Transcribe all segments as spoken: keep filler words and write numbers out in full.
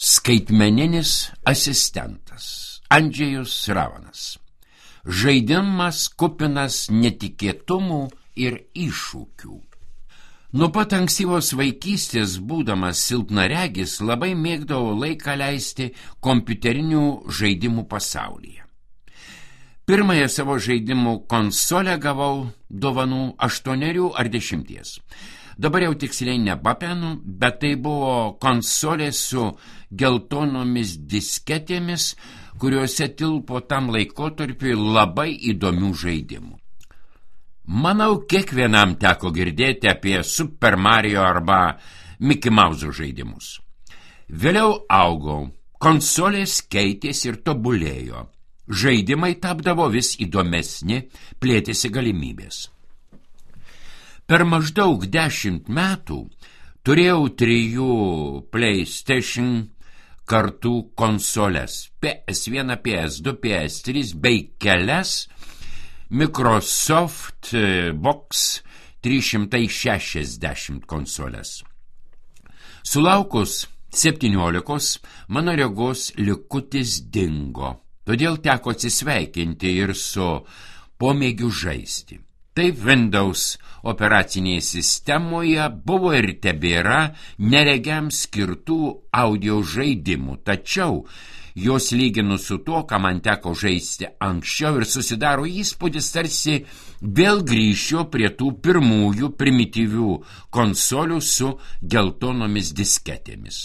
Skaitmeninis asistentas Andžejus Ravanas. Žaidimas kupinas netikėtumų ir iššūkių. Nuo pat ankstyvos vaikystės, būdamas silpnaregis, labai mėgdavau laiką leisti kompiuterinių žaidimų pasaulyje. Pirmąją savo žaidimų konsolę gavau dovanų aštuonerių ar dešimties. Dabar jau tiksliai nepapenu, bet tai buvo konsolė su geltonomis disketėmis, kuriuose tilpo tam laikotarpiui labai įdomių žaidimų. Manau, kiekvienam teko girdėti apie Super Mario arba Mickey Mouse žaidimus. Vėliau augau, konsolės keitėsi ir tobulėjo. Žaidimai tapdavo vis įdomesni, plėtėsi galimybės. Per maždaug dešimt metų turėjau trijų PlayStation kartų konsoles P S vieną, P S du, P S trys bei kelias Microsoft Box trys šimtai šešiasdešimt konsoles. Sulaukus septyniolikos mano regos likutis dingo, todėl teko atsisveikinti ir su pomėgiu žaisti. Taip Windows operacinėje sistemoje buvo ir tebėra neregiams skirtų audio žaidimų, tačiau jos lyginus su to, ką man teko žaisti anksčiau, ir susidaro įspūdis, tarsi vėl grįšiu prie tų pirmųjų primityvių konsolių su geltonomis disketėmis.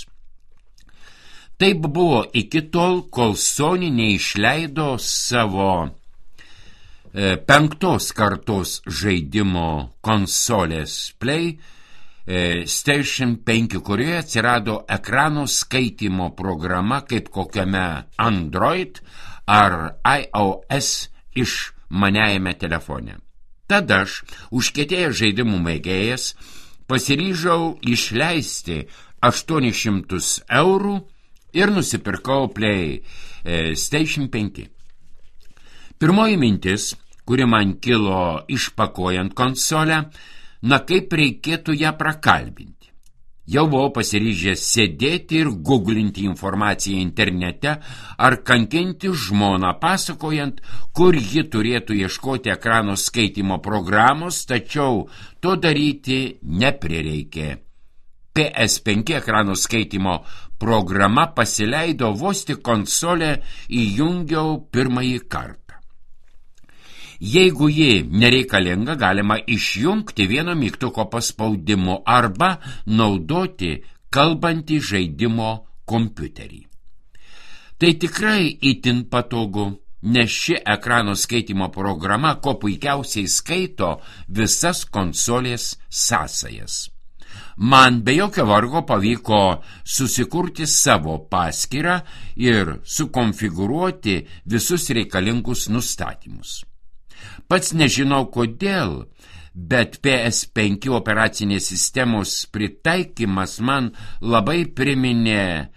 Taip buvo iki tol, kol Sony neišleido savo e, penktos kartos žaidimo konsolės Play e, Station penki, kurioje atsirado ekrano skaitymo programa kaip kokiame Android ar iOS išmaniajame telefone. Tada aš, užkietėjęs žaidimų mėgėjas, pasiryžau išleisti aštuonis šimtus eurų ir nusipirkau Play e, Station penki. Pirmoji mintis, kuri man kilo išpakuojant konsolę, na kaip reikėtų ją prakalbinti. Jau buvau pasiryžęs sėdėti ir googlinti informaciją internete ar kankinti žmoną, pasakojant, kur ji turėtų ieškoti ekrano skaitymo programos, tačiau to daryti neprireikė. P S penki ekrano skaitymo programa pasileido vos tik konsolę įjungiau pirmąjį kartą. Jeigu ji nereikalinga, galima išjungti vieno mygtuko paspaudimu arba naudoti kalbantį žaidimo kompiuterį. Tai tikrai itin patogu, nes ši ekrano skaitymo programa ko puikiausiai skaito visas konsolės sąsajas. Man be jokio vargo pavyko susikurti savo paskyrą ir sukonfigūruoti visus reikalingus nustatymus. Pats nežinau kodėl, bet P S penki operacinės sistemos pritaikymas man labai priminė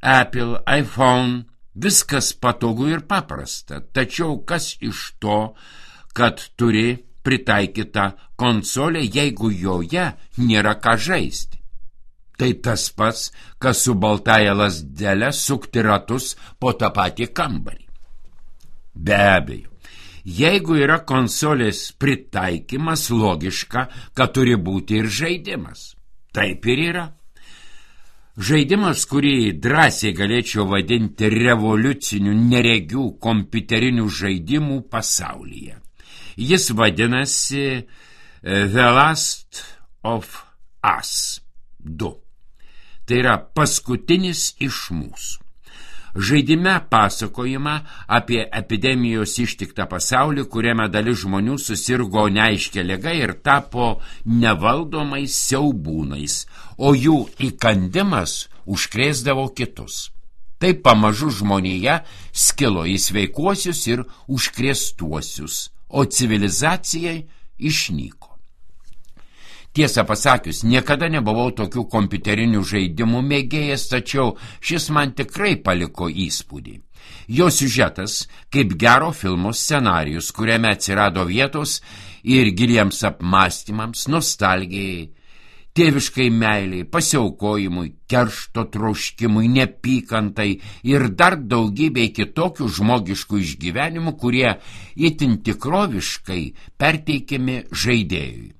Apple, iPhone, viskas patogu ir paprasta, tačiau kas iš to, kad turi pritaikyta konsolė, jeigu joje nėra ką žaisti. Tai tas pats, kas su baltaja lazdele sukti ratus po tą patį kambarį. Be abejo, jeigu yra konsolės pritaikymas, logiška, kad turi būti ir žaidimas. Taip ir yra. Žaidimas, kurį drąsiai galėčiau vadinti revoliuciniu neregių kompiuterinių žaidimų pasaulyje. Jis vadinasi The Last of Us du. Tai yra paskutinis iš mūsų. Žaidime pasakojama apie epidemijos ištiktą pasaulį, kuriame dalis žmonių susirgo neaiškia liga ir tapo nevaldomais siaubūnais, o jų įkandimas užkrėsdavo kitus. Taip pamažu žmonija skilo į sveikuosius ir užkrėstuosius, o civilizacijai išnyko. Tiesą pasakius, niekada nebuvau tokių kompiuterinių žaidimų mėgėjas, tačiau šis man tikrai paliko įspūdį. Jo siužetas kaip gero filmo scenarijus, kuriame atsirado vietos ir giliems apmąstymams, nostalgijai, tėviškai meiliai, pasiaukojimui, keršto troškimui, nepykantai ir dar daugybei kitokių žmogiškų išgyvenimų, kurie itin tikroviškai perteikiami žaidėjui.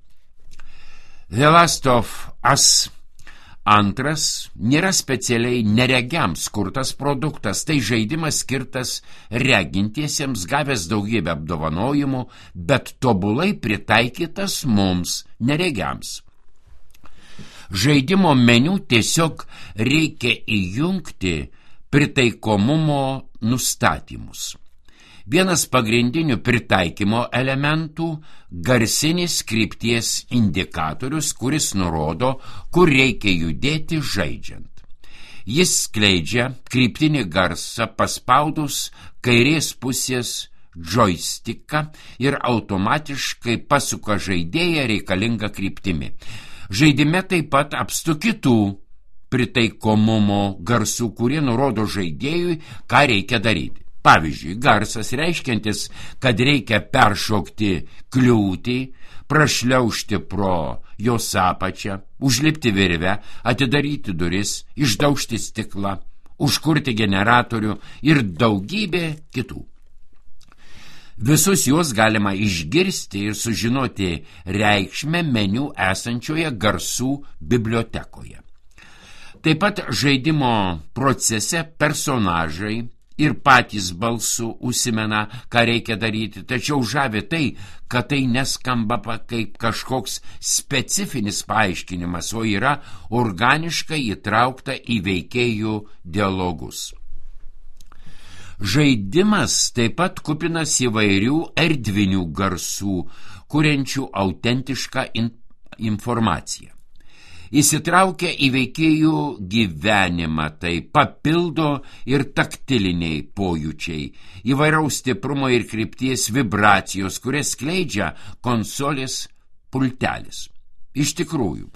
The Last of Us antras nėra specialiai neregiams kurtas produktas, tai žaidimas skirtas regintiesiems, gavęs daugybę apdovanojimų, bet tobulai pritaikytas mums neregiams. Žaidimo meniu tiesiog reikia įjungti pritaikomumo nustatymus. Vienas pagrindinių pritaikymo elementų – garsinis krypties indikatorius, kuris nurodo, kur reikia judėti žaidžiant. Jis skleidžia kryptinį garsą paspaudus kairės pusės džoistiką ir automatiškai pasuka žaidėją reikalingą kryptimi. Žaidime taip pat apstu kitų pritaikomumo garsų, kurie nurodo žaidėjui, ką reikia daryti. Pavyzdžiui, garsas reiškiantis, kad reikia peršokti kliūtį, prašliaužti pro jos apačią, užlipti virvę, atidaryti duris, išdaužti stiklą, užkurti generatorių ir daugybė kitų. Visus juos galima išgirsti ir sužinoti reikšmę meniu esančioje garsų bibliotekoje. Taip pat žaidimo procese personažai ir patys balsu užsimena, ką reikia daryti, tačiau žavi tai, kad tai neskamba kaip kažkoks specifinis paaiškinimas, o yra organiškai įtraukta į veikėjų dialogus. Žaidimas taip pat kupinas įvairių erdvinių garsų, kuriančių autentišką in- informaciją. Įsitraukia į veikėjų gyvenimą, tai papildo ir taktiliniai pojūčiai, įvairaus stiprumo ir krypties vibracijos, kurias skleidžia konsolės pultelis. Iš tikrųjų,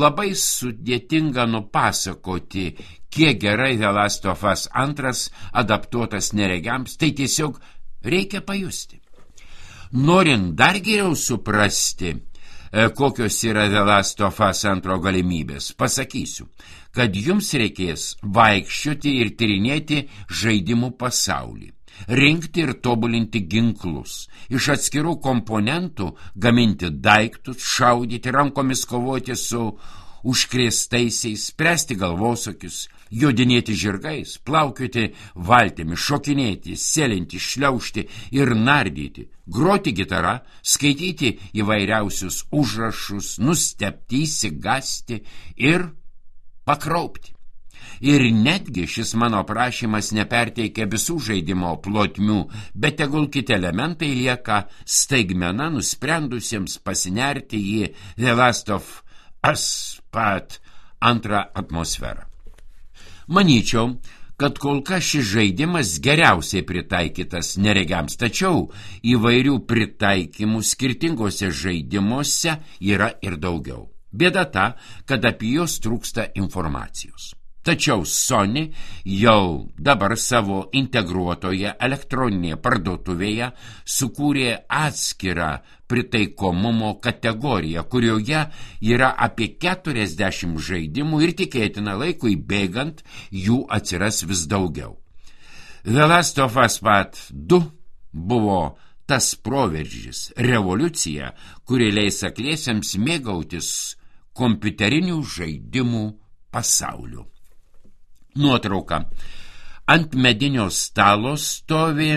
labai sudėtinga nupasakoti, kiek gerai The Last of Us antras adaptuotas neregiams, tai tiesiog reikia pajusti. Norint dar geriau suprasti, kokios yra The Last of Us antro galimybės, pasakysiu, kad jums reikės vaikščioti ir tyrinėti žaidimų pasaulį, rinkti ir tobulinti ginklus, iš atskirų komponentų gaminti daiktus, šaudyti, rankomis kovoti su užkrėstaisiais, spręsti galvosokius, jodinėti žirgais, plaukioti valtimi, šokinėti, sėlinti, šliaužti ir nardyti, groti gitarą, skaityti įvairiausius užrašus, nustebti, įsigasti ir pakraupti. Ir netgi šis mano prašymas neperteikia visų žaidimo plotmių, bet tegul kiti elementai lieka staigmena nusprendusiems pasinerti į The Last of Us pat antrą atmosferą. Manyčiau, kad kol kas šis žaidimas geriausiai pritaikytas neregiams, tačiau įvairių pritaikymų skirtingose žaidimuose yra ir daugiau. Bėda ta, kad apie juos trūksta informacijos. Tačiau Sony jau dabar savo integruotoje elektroninėje parduotuvėje sukūrė atskirą pritaikomumo kategoriją, kurioje yra apie keturiasdešimt žaidimų ir tikėtina laikui bėgant jų atsiras vis daugiau. The Last of Us Part du buvo tas proveržis, revoliucija, kuri leis akliesiems mėgautis kompiuterinių žaidimų pasauliu. Nuotrauka. Ant medinio stalo stovi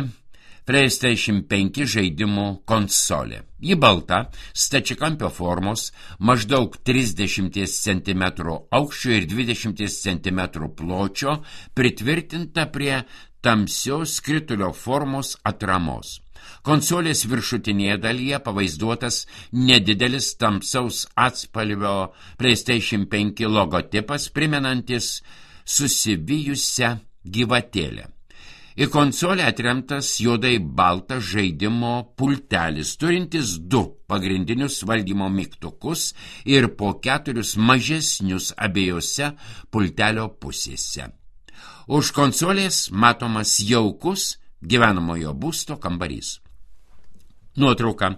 PlayStation penki žaidimų konsolė. Ji balta, stačiakampio formos, maždaug trisdešimt centimetrų aukščio ir dvidešimt centimetrų pločio, pritvirtinta prie tamsios skritulio formos atramos. Konsolės viršutinėje dalyje pavaizduotas nedidelis tamsaus atspalvio PlayStation penki logotipas, primenantis susivijusią gyvatėlę. Į konsolę atremtas juodai baltas žaidimo pultelis, turintis du pagrindinius valdymo mygtukus ir po keturius mažesnius abiejose pultelio pusėse. Už konsolės matomas jaukus gyvenamojo būsto kambarys. Nuotrauka.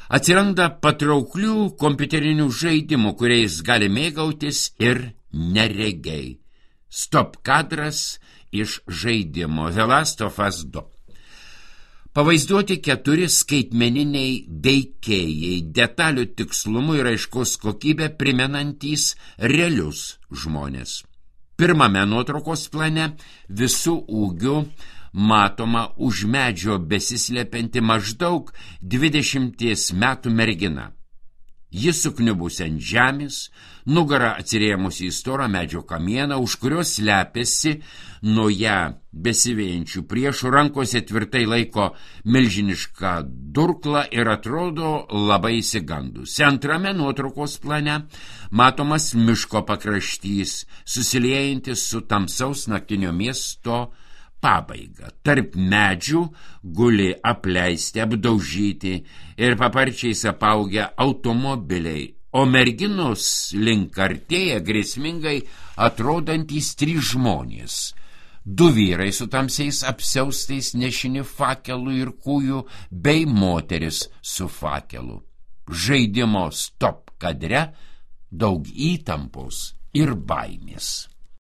Atsiranda patrauklių kompiuterinių žaidimų, kuriais gali mėgautis ir neregiai. Stop kadras iš žaidimo The Last of Us du. Pavaizduoti keturi skaitmeniniai veikėjai, detalių tikslumu ir aiškos kokybę primenantys realius žmonės. Pirmame nuotraukos plane visų ūgių matoma už medžio besislepianti maždaug dvidešimties metų mergina. Jis sukniubusi ant žemės, nugara atsirėmusi į storą medžio kamieną, už kurios slepiasi nuo ją besivėjančių priešų, rankose tvirtai laiko milžinišką durklą ir atrodo labai išsigandusi. Antrame nuotraukos plane matomas miško pakraštys, susiliejantis su tamsaus naktinio miesto pabaiga. Tarp medžių guli apleisti, apdaužyti ir paparčiais apaugę automobiliai, o merginos link artėja grėsmingai atrodantys trys žmonės. Du vyrai su tamsiais apsiaustais nešini fakelų ir kūjų, bei moteris su fakelu. Žaidimo stop kadre daug įtampos ir baimės.